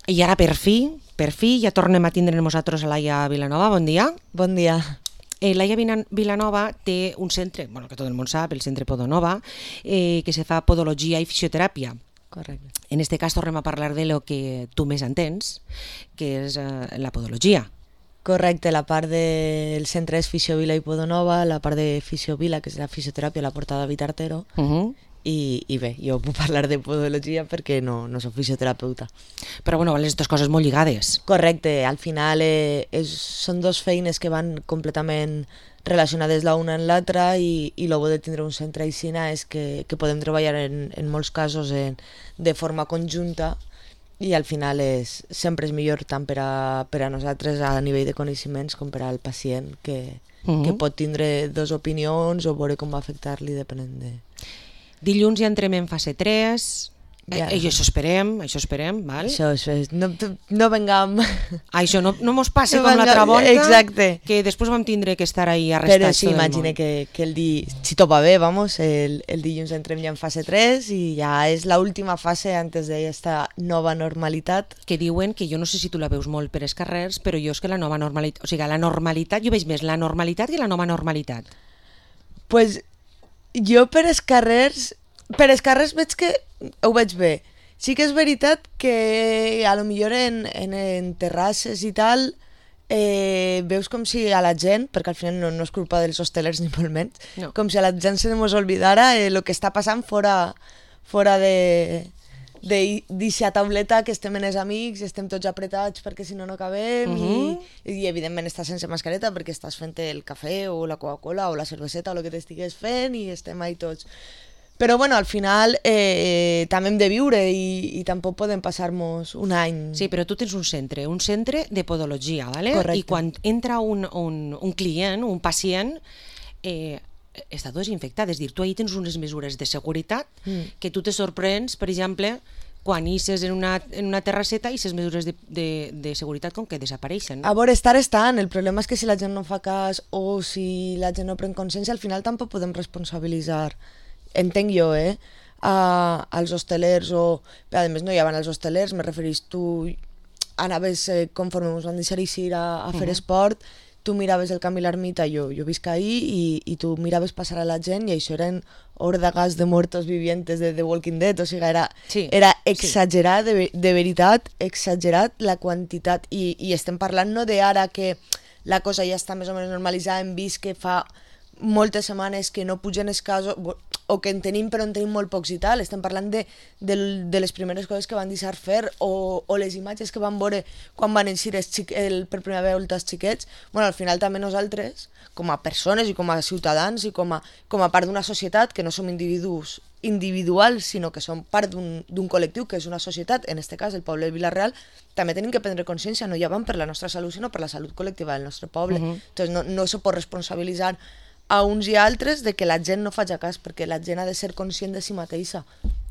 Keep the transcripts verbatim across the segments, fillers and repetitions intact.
I ara per fi, per fi, ja tornem a tindre nosaltres a Laia Vilanova. Bon dia. Bon dia. Eh, Laia Vilanova té un centre, bueno, que tot el món sap, el centre Podonova, eh, que se fa podologia i fisioteràpia. Correcte. En este cas tornem a parlar de lo que tu més entens, que és eh, la podologia. Correcte, la part del centre és Fisiovila i Podonova, la part de Fisiovila, que és la fisioteràpia, la porta David Artero, Uh -huh. i, i bé, jo puc parlar de podologia perquè no, no soc fisioterapeuta. Però bueno, les dues coses molt lligades. Correcte, al final eh, és, són dos feines que van completament relacionades l'una en l'altra i, i el bo de tindre un centre aixina és que, que podem treballar en, en molts casos en, de forma conjunta i al final és, sempre és millor tant per a, per a nosaltres a nivell de coneixements com per al pacient que, uh -huh. que pot tindre dues opinions o veure com va afectar-li depenent de... Dilluns ja entrem en fase tres, Ja. eh, i això esperem, això esperem, val? Això, això és, no, no vengam... Això no, no mos passi No com venga- l'altra volta, exacte. que després vam tindre que estar ahí arrestats. Però sí, tot el imagine món. que, que el di... si tot va bé, vamos, el, el dilluns entrem ja en fase tres i ja és l'última fase antes d'esta nova normalitat. Que diuen que jo no sé si tu la veus molt per els carrers, però jo és que la nova normalitat, o sigui, la normalitat, jo veig més la normalitat que la nova normalitat. Pues jo per els carrers, per els carrers veig que ho veig bé. Sí que és veritat que a lo millor en, en, en terrasses i tal eh, veus com si a la gent, perquè al final no, no és culpa dels hostelers ni molt menys, No. com si a la gent se mos oblidara el eh, que està passant fora, fora de d'eixa tauleta que estem en els amics i estem tots apretats perquè si no no acabem uh -huh. i, i evidentment estàs sense mascareta perquè estàs fent el cafè o la Coca-Cola o la cerveseta o el que t'estigues fent i estem ahí tots. Però bueno, al final eh, també hem de viure i, i tampoc podem passar-nos un any... Sí, però tu tens un centre, un centre de podologia, ¿vale? Correcte. I quan entra un, un, un client, un pacient, eh, està desinfectat, és a dir, tu ahí tens unes mesures de seguretat Mm. que tu te sorprens, per exemple, quan isses en una, en una terrasseta i les mesures de, de, de seguretat com que desapareixen. A veure, estar estan, el problema és que si la gent no fa cas o si la gent no pren consciència, al final tampoc podem responsabilitzar, entenc jo, eh, a, als hostelers o... Però a més no hi havia els hostelers, me referís tu anaves eh, conforme ens van deixar eixir a, a fer Mhm. esport, tu miraves el camí l'ermita, jo, jo visc ahí i, i tu miraves passar a la gent i això eren hórdagas de muertos vivientes de The Walking Dead, o sigui, era, Sí, era exagerat, de, ve- de veritat, exagerat la quantitat i, i estem parlant no d'ara que la cosa ja està més o menys normalitzada, hem vist que fa moltes setmanes que no pugen els casos bo- o que en tenim però en tenim molt pocs i tal, estem parlant de, de, de les primeres coses que van deixar fer o, o les imatges que van veure quan van eixir els xic, el, per primera vegada els xiquets. Bueno, al final també nosaltres com a persones i com a ciutadans i com a, com a part d'una societat que no som individus individuals sinó que som part d'un d'un col·lectiu que és una societat, en este cas el poble de Vila-real, també tenim que prendre consciència, no ja van per la nostra salut sinó per la salut col·lectiva del nostre poble. Mhm. Entonces no, no se pot responsabilitzar a uns i altres de que la gent no faci cas, perquè la gent ha de ser conscient de si mateixa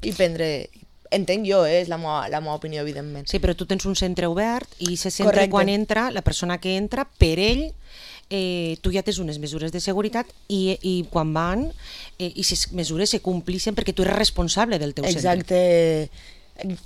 i prendre, entenc jo, eh, és la meva, la meva opinió, evidentment. Sí, però tu tens un centre obert i se centre Correcte. quan entra, la persona que entra, per ell, eh, tu ja tens unes mesures de seguretat i, i quan van, eh, i les mesures se complixen perquè tu eres responsable del teu centre. Exacte,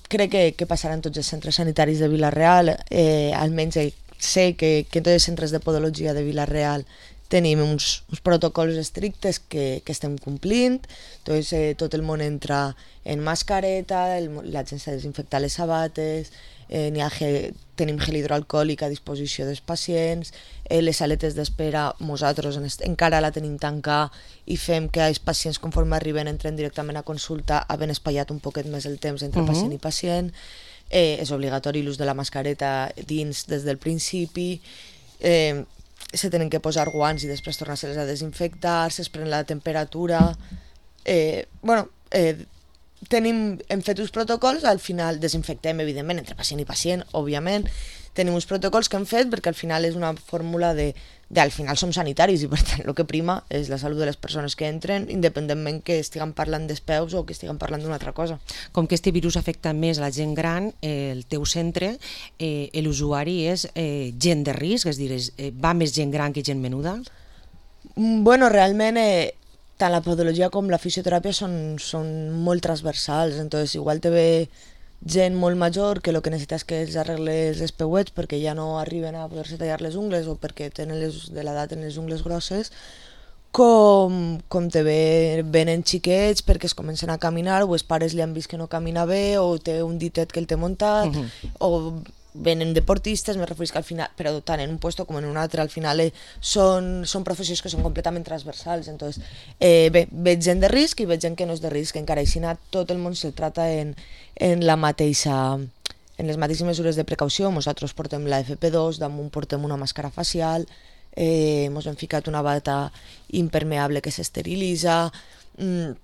crec que, que passarà en tots els centres sanitaris de Vila-real, eh, almenys eh, sé que, que en tots els centres de podologia de Vila-real tenim uns, uns protocols estrictes que, que estem complint, entonces, eh, tot el món entra en mascareta, el, mo- la gent s'ha de desinfectar les sabates, eh, n'hi ha gel, tenim gel hidroalcohòlic a disposició dels pacients, eh, les saletes d'espera nosaltres en est- encara la tenim tancada i fem que els pacients conforme arriben entren directament a consulta havent espatllat un poquet més el temps entre Mhm. pacient i pacient, eh, és obligatori l'ús de la mascareta dins des del principi, eh, se tenen que posar guants i després tornar-se-les a desinfectar, es pren la temperatura, eh, bueno, eh, tenim, hem fet uns protocols, al final desinfectem evidentment entre pacient i pacient, òbviament, tenim uns protocols que hem fet perquè al final és una fórmula de, de al final som sanitaris i per tant el que prima és la salut de les persones que entren independentment que estiguem parlant d'espeus o que estiguem parlant d'una altra cosa. Com que este virus afecta més a la gent gran, eh, el teu centre, eh, l'usuari és eh, gent de risc, és a dir, és, eh, va més gent gran que gent menuda? Mm, Bueno, realment eh, tant la podologia com la fisioteràpia són, són molt transversals, entonces igual te ve gent molt major que el que necessita és que els arregles els peuets perquè ja no arriben a poder-se tallar les ungles o perquè tenen les, de l'edat tenen les ungles grosses, com, com te ve, venen xiquets perquè es comencen a caminar o els pares li han vist que no camina bé o té un ditet que el té muntat, uh-huh. o venen deportistes, me referís que al final, però tant en un puesto com en un altre, al final eh, són, són professions que són completament transversals, entonces eh, bé, veig gent de risc i veig gent que no és de risc, encara així tot el món se'l trata en, en la mateixa, en les mateixes mesures de precaució. Nosaltres portem la F P dos, damunt portem una màscara facial, eh, mos hem ficat una bata impermeable que s'esterilitza, mm,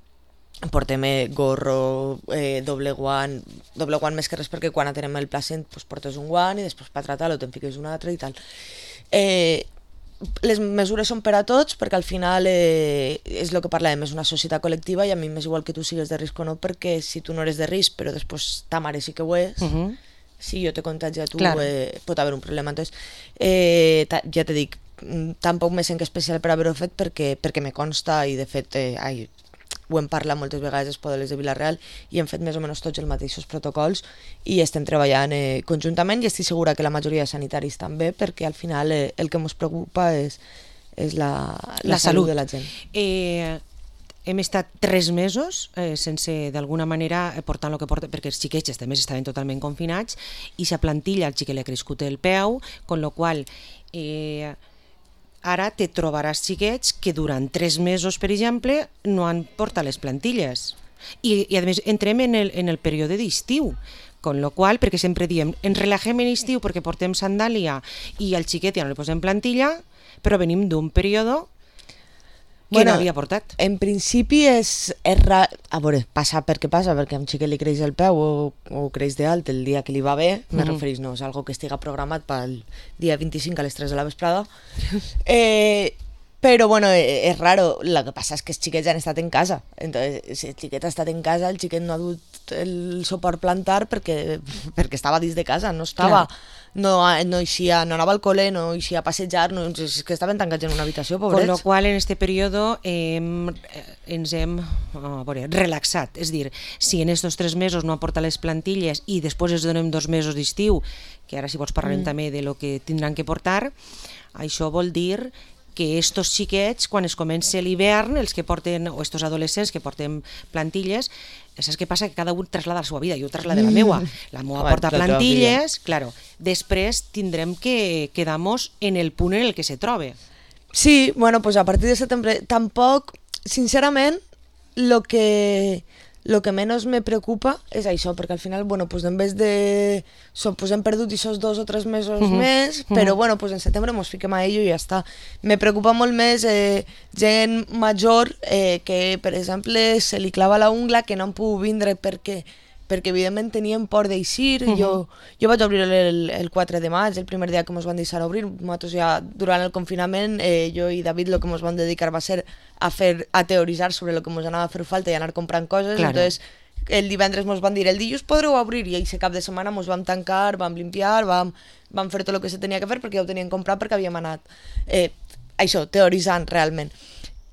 portem gorro, eh, doble guant, doble guant més que res perquè quan atenem el placent pues, portes un guant i després per tratar-lo te'n fiques un altre i tal. Eh, les mesures són per a tots perquè al final eh, és el que parlàvem, és una societat col·lectiva i a mi m'és igual que tu sigues de risc o no, perquè si tu no eres de risc però després ta mare sí que ho és, uh-huh. si jo te contagi a tu claro. eh, pot haver un problema. Entonces, eh, ta, ja te dic, tampoc me sent especial per haver-ho fet perquè, perquè me consta i de fet eh, ai, ho hem parlat moltes vegades als poderes de Vila-real i hem fet més o menys tots els mateixos protocols i estem treballant eh, conjuntament i estic segura que la majoria de sanitaris també perquè al final eh, el que ens preocupa és, és la, la, la salut. salut de la gent. Eh, hem estat tres mesos eh, sense d'alguna manera portant el que porta, perquè els xiquets també estaven totalment confinats i sa plantilla al xiquet li ha crescut el peu, con lo qual eh, ara te trobaràs xiquets que durant tres mesos, per exemple, no han portat les plantilles. I, i a més, entrem en el, en el període d'estiu, con lo qual, perquè sempre diem, ens relaxem en estiu perquè portem sandàlia i al xiquet ja no li posem plantilla, però venim d'un període que bueno, no havia portat. En principi és, és ra... a veure, passa perquè passa, perquè a un xiquet li creix el peu o, o creix d'alt el dia que li va bé, mm. me referís, no és algo que estiga programat pel dia vint-i-cinc a les tres de la vesprada. eh, però bueno, és raro, el que passa és que els xiquets han estat en casa, entonces si el xiquet ha estat en casa, el xiquet no ha dut el suport plantar perquè, perquè estava dins de casa, no estava... Clar. No, no, eixia, no anava al col·le, no eixia a passejar, no, és que estaven tancats en una habitació, pobrets. Con lo qual, en este període eh, ens hem oh, veure, relaxat. És dir, si en estos tres mesos no aporta les plantilles i després es donem dos mesos d'estiu, que ara si vols parlarem mm. també de lo que tindran que portar, això vol dir que estos xiquets, quan es comença l'hivern, els que porten, o estos adolescents que porten plantilles, saps què passa? Que cada un traslada la seva vida, jo traslado la meua, la meua porta plantilles, claro, després tindrem que quedar-nos en el punt en el que se trobe. Sí, bueno, pues a partir de setembre, tampoc, sincerament, lo que... Lo que menys me preocupa és això, perquè al final, bueno, pues en vez de... So, pues hem perdut aquests dos o tres mesos uh-huh. més, però uh-huh. bueno, pues en setembre mos fiquem a ello i ja està. Me preocupa molt més eh, gent major eh, que, per exemple, se li clava la ungla, que no han pogut vindre perquè, perquè evidentment tenien por d'eixir. Uh-huh. Jo, jo vaig obrir el, el quatre de maig, el primer dia que mos van deixar obrir. Nosaltres ja, durant el confinament, eh, jo i David el que mos van dedicar va ser a fer a teoritzar sobre el que mos anava a fer falta i anar comprant coses. Claro. Entonces, el divendres mos van dir, el dilluns podreu obrir, i aquest cap de setmana mos vam tancar, vam limpiar, vam, vam fer tot el que se tenia que fer perquè ja ho tenien comprat perquè havíem anat eh, això, teoritzant realment.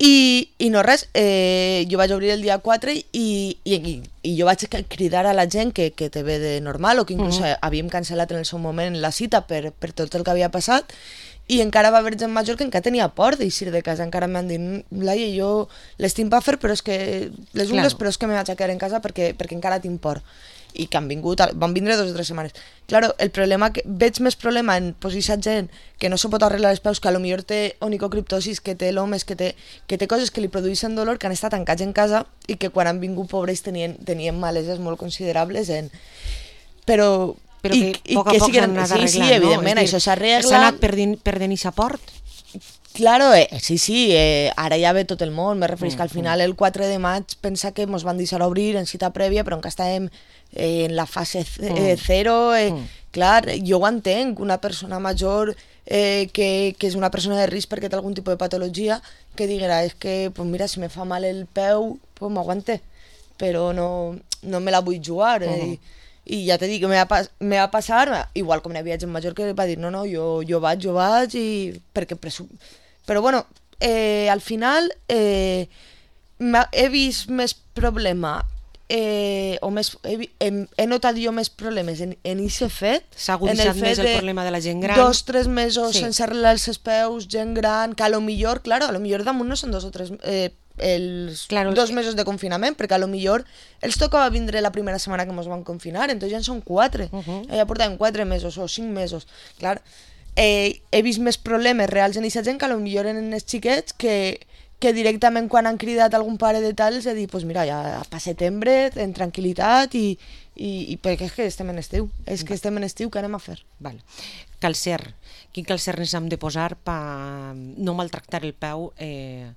I, i no res, eh, jo vaig obrir el dia quatre i, i, i, i jo vaig cridar a la gent que, que te ve de normal o que inclús uh-huh. havíem cancel·lat en el seu moment la cita per, per tot el que havia passat. I encara va haver gent major que encara tenia por d'eixir de casa, encara m'han dit, Laia, jo l'estim per fer, però és que les ungles, claro. Però és que me vaig a quedar en casa perquè, perquè encara tinc por. I que han vingut, van vindre dos o tres setmanes. Claro, el problema, que veig més problema en posar gent que no se pot arreglar els peus, que potser té onicocriptosis, que té lomes, que té, que té coses que li produeixen dolor, que han estat tancats en casa i que quan han vingut pobres tenien, tenien maleses molt considerables en... Però... Però que I, poc a poc s'han anat arreglant, sí, sí, evidentment, no? Això s'arregla. S'ha anat perdent, perdent i s'aport. Claro, eh, sí, sí, eh, ara ja ve tot el món, me referís mm, que al final el quatre de maig pensa que mos van deixar obrir en cita prèvia, però encara estàvem eh, en la fase eh, zero, eh, mm. clar, jo ho entenc, una persona major eh, que, que és una persona de risc perquè té algun tipus de patologia, que diguera, és que, pues mira, si me fa mal el peu, pues m'aguante, però no, no me la vull jugar, eh, mm. i, i ja t'he dit que me va, pas, me va passar, igual com n'hi havia gent major que va dir no, no, jo, jo vaig, jo vaig, i perquè presu... però bueno, eh, al final eh, he vist més problema eh, o més, he, he, he notat jo més problemes en, en aquest fet. S'ha aguditzat més el problema de la gent gran. Dos, tres mesos sí. sense arreglar els peus, gent gran, que a lo millor, claro, a lo millor damunt no són dos o tres... Eh, els claro, dos mesos de confinament, perquè a lo millor els tocava vindre la primera setmana que ens van confinar, entonces ja en són quatre, uh -huh. ja portàvem quatre mesos o cinc mesos, clar. Eh, he vist més problemes reals en aquesta gent que a lo millor en els xiquets que, que directament quan han cridat algun pare de tal els he dit, pues mira, ja pa setembre, en tranquil·litat i, i, i perquè és que estem en estiu, és que estem en estiu, què anem a fer? Val. Calcer, quin calcer ens hem de posar per no maltractar el peu eh,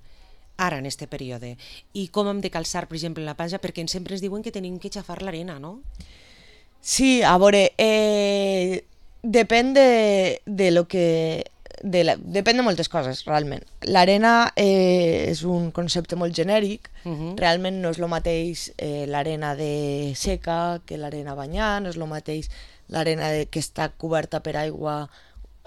ara en este període, i com hem de calçar per exemple la platja, perquè sempre ens diuen que tenim que xafar l'arena, no? Sí, a veure, eh, depèn de, de lo que de la, depèn de moltes coses realment. L'arena eh, és un concepte molt genèric, uh -huh. realment no és el mateix eh, l'arena de seca que l'arena banyant, no és el mateix l'arena de, que està coberta per aigua,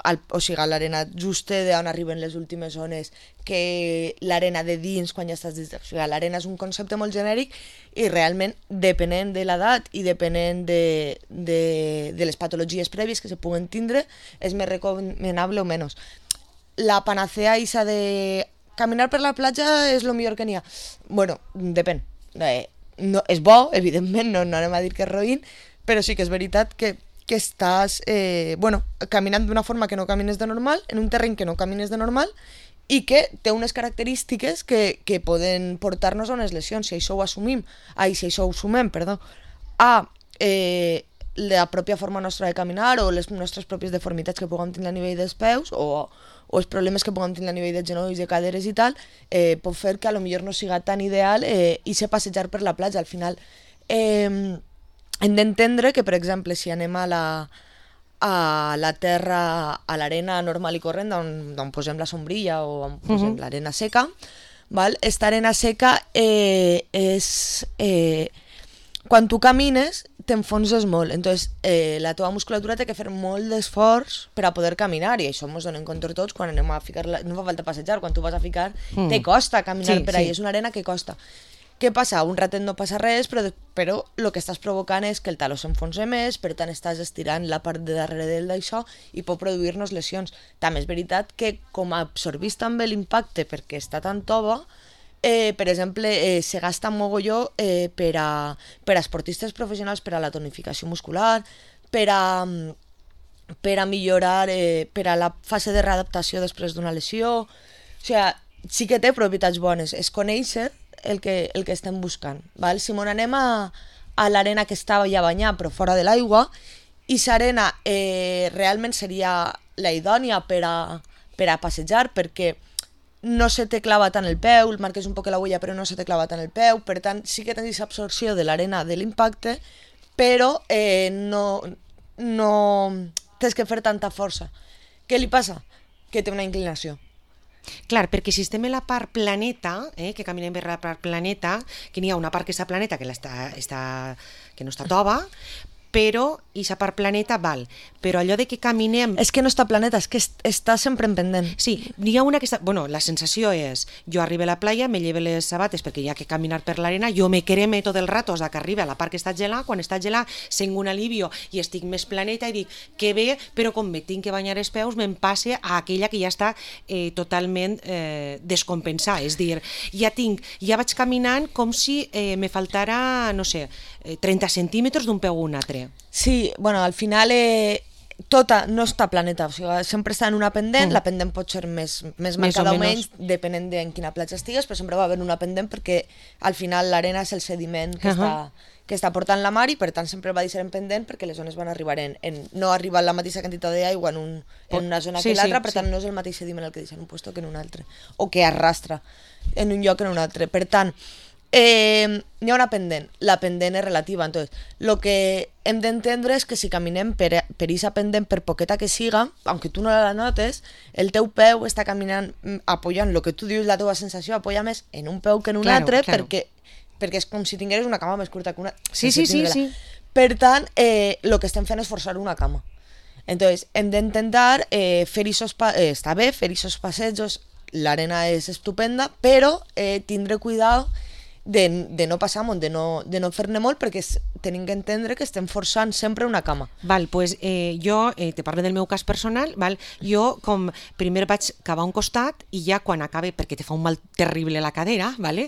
al, o sigui, l'arena justa d'on arriben les últimes ones, que l'arena de dins quan ja estàs dins. O sigui, l'arena és un concepte molt genèric i realment, depenent de l'edat i depenent de, de, de les patologies prèvies que se puguen tindre, és més recomanable o menys. La panacea isa de caminar per la platja és el millor que n'hi ha. Bueno, depèn. Eh, no, és bo, evidentment, no, no anem a dir que és roïn, però sí que és veritat que que estàs eh, bueno, caminant d'una forma que no camines de normal, en un terreny que no camines de normal i que té unes característiques que, que poden portar-nos a unes lesions. Si això ho assumim, ai, si això ho sumem, perdó, a eh, la pròpia forma nostra de caminar o les nostres pròpies deformitats que puguem tenir a nivell dels peus o, o els problemes que puguem tenir a nivell de genolls, de caderes i tal, eh, pot fer que a lo millor no siga tan ideal eh, i ser passejar per la platja. Al final, eh, hem d'entendre que, per exemple, si anem a la, a la terra, a l'arena normal i corrent, on, on posem la sombrilla o on posem uh-huh. l'arena seca, val? Esta arena seca eh, és... Eh, quan tu camines, t'enfonses molt. Entonces, eh, la teva musculatura té que fer molt d'esforç per a poder caminar, i això ens donem compte tots quan anem a ficar... La... No fa falta passejar, quan tu vas a ficar, mm. te costa caminar sí, per ahí, sí. És una arena que costa. Què passa? Un ratet no passa res, però, però el que estàs provocant és que el taló s'enfonsa més, per tant estàs estirant la part de darrere del d'això i pot produir-nos lesions. També és veritat que com absorbís també l'impacte perquè està tan tova, eh, per exemple, eh, se gasta mogolló eh, per, a, per a esportistes professionals, per a la tonificació muscular, per a, per a millorar, eh, per a la fase de readaptació després d'una lesió. O sigui, sí que té propietats bones. És conèixer el que, el que estem buscant. Val? Si mon anem a, a l'arena que estava ja banyada però fora de l'aigua, i l'arena eh, realment seria la idònia per a, per a passejar, perquè no se te clava tant el peu, el marques un poc la huella però no se te clava tant el peu, per tant sí que tens absorció de l'arena de l'impacte, però eh, no, no tens que fer tanta força. Què li passa? Que té una inclinació. Clar, perquè si estem en la part planeta, eh, que caminem per la part planeta, que n'hi ha una part que està planeta que, està, està, que no està tova, però aquesta part planeta val. Però allò de que caminem... És que no està planeta, és que est està sempre en pendent. Sí, n'hi ha una que està... Bueno, la sensació és, jo arribo a la playa, me lleve les sabates perquè hi ha que caminar per l'arena, jo me creme tot el rato hasta que arriba a la part que està gelada, quan està gelada sent un alivio i estic més planeta i dic, que bé, però com me tinc que banyar els peus, me'n passe a aquella que ja està eh, totalment eh, descompensada. És dir, ja tinc, ja vaig caminant com si eh, me faltara, no sé, eh, trenta centímetres d'un peu a un altre. Sí, bueno, al final eh, tota no està planeta, o sigui, sempre està en una pendent, mm. la pendent pot ser més, més marcada o menys, depenent de en quina platja estigues, però sempre va haver una pendent perquè al final l'arena és el sediment que, uh -huh. està, que està portant la mar i per tant sempre va deixar en pendent perquè les zones van arribar en, en no arriba la mateixa quantitat d'aigua en, un, en una zona sí, que l'altra, sí, per tant sí. no és el mateix sediment el que deixa en un lloc que en un altre, o que arrastra en un lloc que en un altre, per tant Eh, hi ha una pendent, la pendent és relativa, entonces lo que hem d'entendre és que si caminem per, per aquesta pendent, per poqueta que siga, aunque tu no la notes, el teu peu està caminant apoyant, el que tu dius, la teva sensació apoya més en un peu que en un claro, altre, claro. perquè, perquè és com si tingueres una cama més curta que una... Sí, sí, sí, sí. Per tant, el eh, que estem fent és forçar una cama. Entonces, hem d'intentar eh, fer isos pa eh, està bé, fer isos passejos, l'arena és estupenda, però eh, tindre cuidado de, de no passar amunt, de no, de no fer-ne molt, perquè es, tenim que entendre que estem forçant sempre una cama. Val, pues, eh, jo eh, te parlo del meu cas personal, val? Jo com primer vaig cavar un costat i ja quan acabe, perquè te fa un mal terrible la cadera, vale?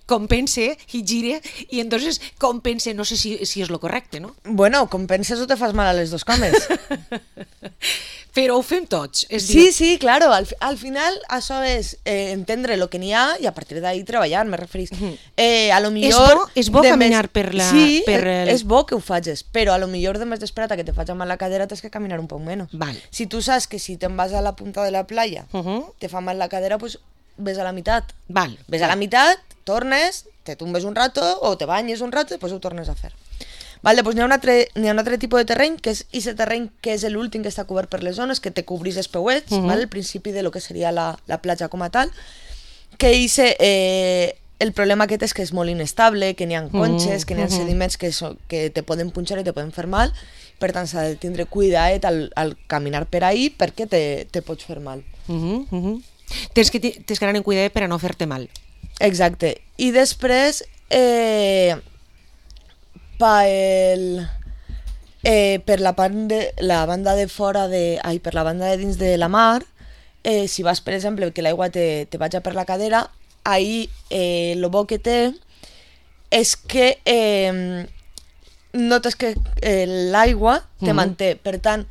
Compense i gire i entonces compense, no sé si, si és lo correcte, no? Bueno, compenses o te fas mal a les dos cames. Però ho fem tots. És Sí, dir... sí, claro, al, al final això és eh, entendre el que n'hi ha i a partir d'ahí treballar, me referís. Eh, a lo millor... És bo, és bo caminar més... per la... Sí, per el... és bo que ho facis, però a lo millor de més d'esperat que te faci mal la cadera tens que caminar un poc menys. Val. Si tu saps que si te'n vas a la punta de la playa Uh -huh. te fa mal la cadera, pues ves a la meitat. Val. Ves a la meitat, tornes, te tumbes un rato o te banyes un rato i després ho tornes a fer. Vale, doncs n'hi ha, un altre, n'hi ha un altre tipus de terreny, que és aquest terreny que és l'últim que està cobert per les zones, que te cobrís els peuets, uh -huh. vale? El principi de lo que seria la, la platja com a tal, que ixe, eh, el problema aquest és que és molt inestable, que n'hi ha conxes, que n'hi ha uh -huh. sediments que, so, que te poden punxar i te poden fer mal, per tant s'ha de tindre cuidadet al, al caminar per ahí perquè te, te pots fer mal. Uh -huh, uh -huh. Tens que, tens que anar en cuidadet per a no fer-te mal. Exacte. I després... Eh, Pa el, eh, per la, de, la banda de fora de, ai, per la banda de dins de la mar, eh, si vas, per exemple, que l'aigua te, te vaja per la cadera, ahí eh, lo bo que té és que eh, notes que eh, l'aigua te uh-huh. manté, per tant,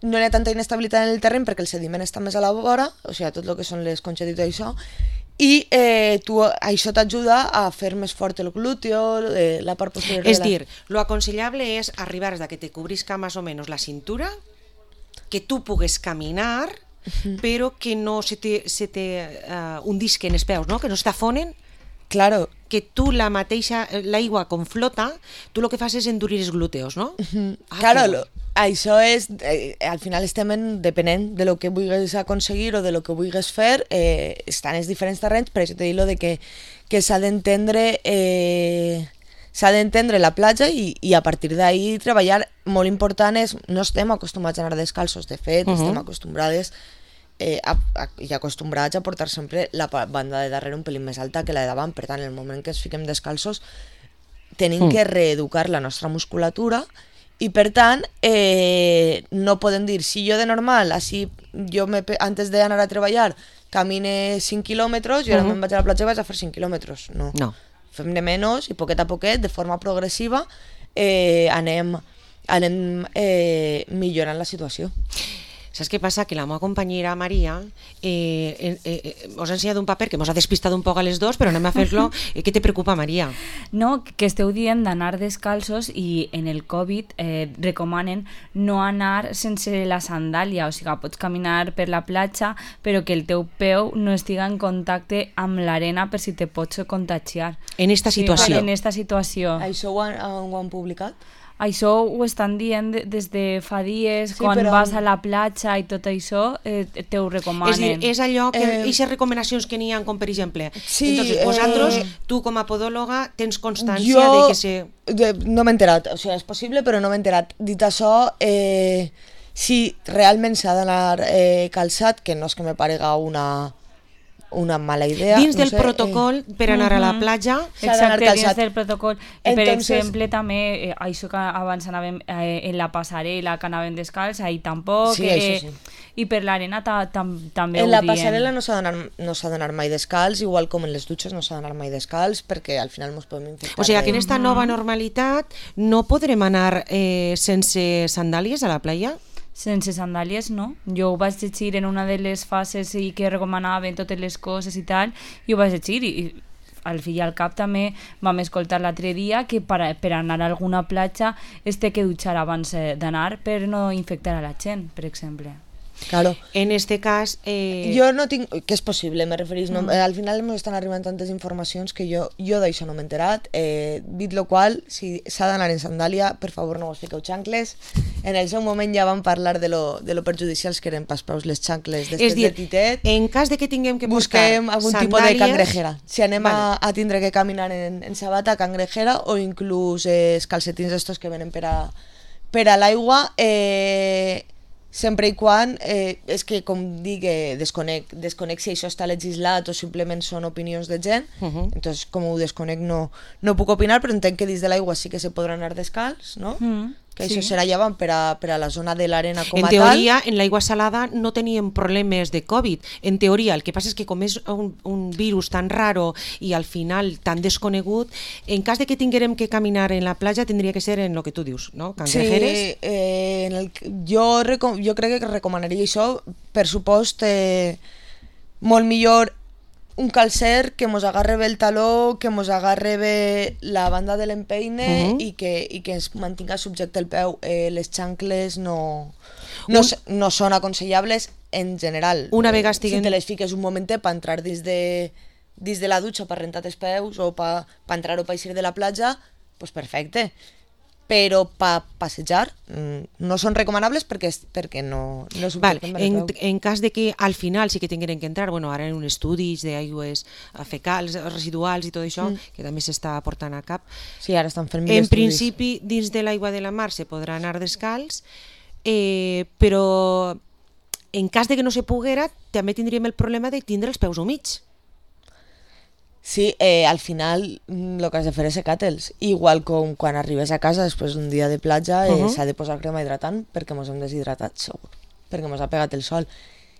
no hi ha tanta inestabilitat en el terreny perquè el sediment està més a la vora, o sigui, tot el que són les conxes i tot això, i eh, tu, això t'ajuda a fer més fort el glúteo, eh, la part posterior. És dir, lo aconsellable és arribar a que te cubrisca más o menos la cintura, que tu pugues caminar, uh-huh. però que no se te, se te uh, hundisquen els peus, no? Que no es t'afonen. Claro. Que tu la mateixa, l'aigua com flota, tu el que fas és endurir els glúteos, no? Uh-huh. Ah, claro, lo, això és, eh, al final estem en, depenent de lo que vulguis aconseguir o de lo que vulguis fer, eh, estan els diferents terrenys, per això t'he dit lo de que, que s'ha d'entendre eh, s'ha d'entendre la platja i, i a partir d'ahí treballar. Molt important és, no estem acostumats a anar descalços, de fet, uh-huh. estem acostumbrades eh, a, a, i acostumbrats a portar sempre la banda de darrere un pelín més alta que la de davant, per tant, en el moment que ens fiquem descalços tenim uh-huh. que reeducar la nostra musculatura. I per tant, eh, no podem dir, si jo de normal, així, jo me, antes d'anar a treballar, camine cinc quilòmetres i ara uh-huh. me'n vaig a la platja i vaig a fer cinc quilòmetres. No. no. Fem de menys i poquet a poquet, de forma progressiva, eh, anem, anem eh, millorant la situació. Saps què passa? Que la meva companyera Maria eh, eh, eh, us ha ensenyat un paper que mos ha despistat un poc a les dos, però anem a fer-lo. Eh, què te preocupa, Maria? No, que esteu dient d'anar descalços i en el Covid eh, recomanen no anar sense la sandàlia, o sigui, pots caminar per la platja, però que el teu peu no estiga en contacte amb l'arena per si te pots contagiar. En esta situació? Sí, en esta situació. Això ho han, ho han publicat? Això ho estan dient des de fa dies, sí, quan però... vas a la platja i tot això, eh, te ho recomanen. És dir, és allò que, eh... aquestes recomanacions que n'hi ha, com per exemple, sí, entonces, vosaltres, eh... tu com a podòloga, tens constància jo... de que se... De, no m'he enterat, o sigui, és possible, però no m'he enterat. Dit això, eh, si realment s'ha d'anar eh, calçat, que no és que me parega una... una mala idea. Dins no del sé, protocol eh, per anar uh-huh. a la platja. Exacte, dins del protocol. I per Entonces, exemple també, eh, això que abans anàvem eh, en la passarel·la, que anàvem descalç, ahí tampoc. Sí, eh, això sí. I per l'arena ta, tam, també en ho la diem. passarel·la no s'ha d'anar no s'ha d'anar mai descalç, igual com en les dutxes no s'ha d'anar mai descalç, perquè al final ens podem infectar. O sigui que en esta nova normalitat no podrem anar eh, sense sandàlies a la platja? Sense sandàlies, no. Jo ho vaig llegir en una de les fases i que recomanaven totes les coses i tal, i ho vaig llegir i, i al fi i al cap també vam escoltar l'altre dia que per, per anar a alguna platja es té que dutxar abans d'anar per no infectar a la gent, per exemple. Claro. En este cas... Eh... Jo no tinc... Que és possible, me referís. No? Mm. Al final m'estan arribant tantes informacions que jo, jo d'això no m'he enterat. Eh, dit lo qual, si s'ha d'anar en sandàlia, per favor no vos fiqueu xancles. En el seu moment ja vam parlar de lo, de lo perjudicials que eren pas peus les xancles d'estes de titet. En cas de que tinguem que busquem algun sandàlies, tipus de cangrejera. Si anem vale. a, a tindre que caminar en, en sabata, cangrejera, o inclús eh, els calcetins estos que venen per a, per a l'aigua... Eh, sempre i quan, eh, és que com dic, eh, desconec, desconec si això està legislat o simplement són opinions de gent, Uh -huh. entonces com ho desconec no, no puc opinar, però entenc que dins de l'aigua sí que se podrà anar descalç, no? Mm, Que sí. això serà llevant per a, per a la zona de l'arena com En a teoria, en l'aigua salada no teníem problemes de Covid. En teoria, el que passa és que com és un, un virus tan raro i al final tan desconegut, en cas de que tinguérem que caminar en la platja tindria que ser en el que tu dius, no? tal. Cangrejeres. Sí, eh, en el, jo, reco jo crec que recomanaria això, per supost, eh, molt millor un calcer que mos agarre bé el taló, que mos agarre bé la banda de l'empeine Uh -huh. i, que, i que ens mantinga subjecte el peu. Eh, les xancles no, no, Un- s- no són aconsellables en general. Una Eh, vegada estiguen- Si te les fiques un momentet per entrar dins de, dins de la dutxa per rentar els peus o per pa entrar o per eixir de la platja, pues perfecte. Però per passejar mm, no són recomanables perquè, és- perquè no, no Val, subjecten bé el en, peu. en cas de que al final sí que tingueren que entrar, bueno, ara en un estudis d'aigües fecals, residuals i tot això, mm. que també s'està portant a cap, Sí, ara estan fent mil en estudis. principi dins de l'aigua de la mar se podrà anar descalç, eh, però en cas de que no se poguera també tindríem el problema de tindre els peus humits. Sí, eh, al final mm, lo que has de fer és secar-te'ls. Igual com quan arribes a casa després d'un dia de platja, eh, Uh -huh. s'ha de posar crema hidratant perquè mos hem deshidratat, segur, perquè mos ha pegat el sol.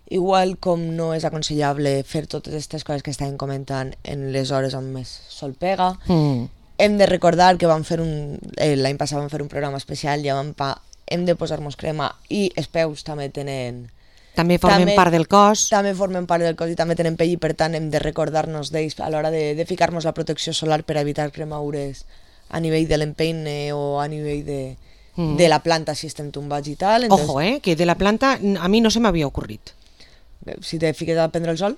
Igual com no és aconsellable fer totes aquestes coses que estàvem comentant en les hores on més sol pega. Mm. Hem de recordar que vam fer un... Eh, l'any passat vam fer un programa especial i vam pa, hem de posar-nos crema i els peus també tenen... També formen També- part del cos. També formen part del cos i també tenen pell i per tant hem de recordar-nos d'ells a l'hora de, de ficar-nos la protecció solar per evitar cremaures a nivell de l'empeine o a nivell de, Mm. de la planta si estem tombats i tal. Entonces, Ojo, eh, que de la planta n- a mi no se m'havia ocorrit. si te fiques a prendre el sol,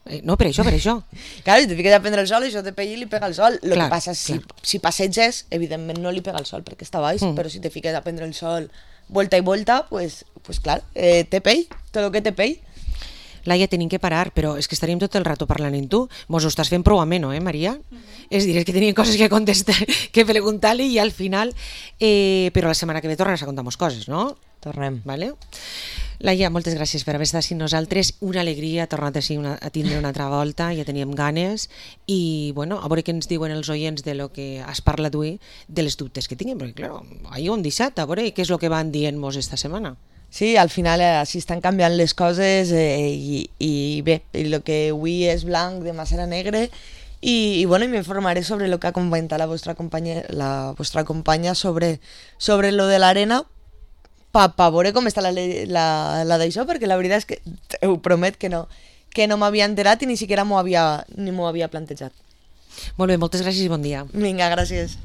Eh, no, per això, per això. claro, si te fiques a prendre el sol això te pell i li pega el sol. Lo Clar, que passa és si, clar. si passeges, evidentment no li pega el sol perquè està baix, Mm. però si te fiques a prendre el sol vuelta i vuelta, pues, pues clar, eh, té pell, tot el que té pell. Laia, tenim que parar, però és que estaríem tot el rato parlant amb tu. Mos ho estàs fent prou ameno, eh, Maria? Mm -hmm. És dir, és que teníem coses que contestar, que preguntar-li i al final... Eh, però la setmana que ve tornes a contar-nos coses, no? Tornem. Vale? Laia, moltes gràcies per haver estat amb nosaltres. Una alegria tornar a, una, a tindre una altra volta, ja teníem ganes. I, bueno, a veure què ens diuen els oients de lo que has parlat avui, de les dubtes que tinguem, perquè, clar, ahir ho hem deixat, a veure què és el que van dient-nos esta setmana. Sí, al final eh, així estan canviant les coses eh, i, i bé, el que avui és blanc demà serà negre i, i bueno, i m'informaré sobre el que ha comentat la vostra companya, la vostra companya sobre, sobre lo de l'arena pa, pa veure com està la, le- la, la d'això, perquè la veritat és que ho promet que no, que no m'havia enterat i ni siquiera m'ho havia, ni m'ho havia plantejat. Molt bé, moltes gràcies i bon dia. Vinga, gràcies.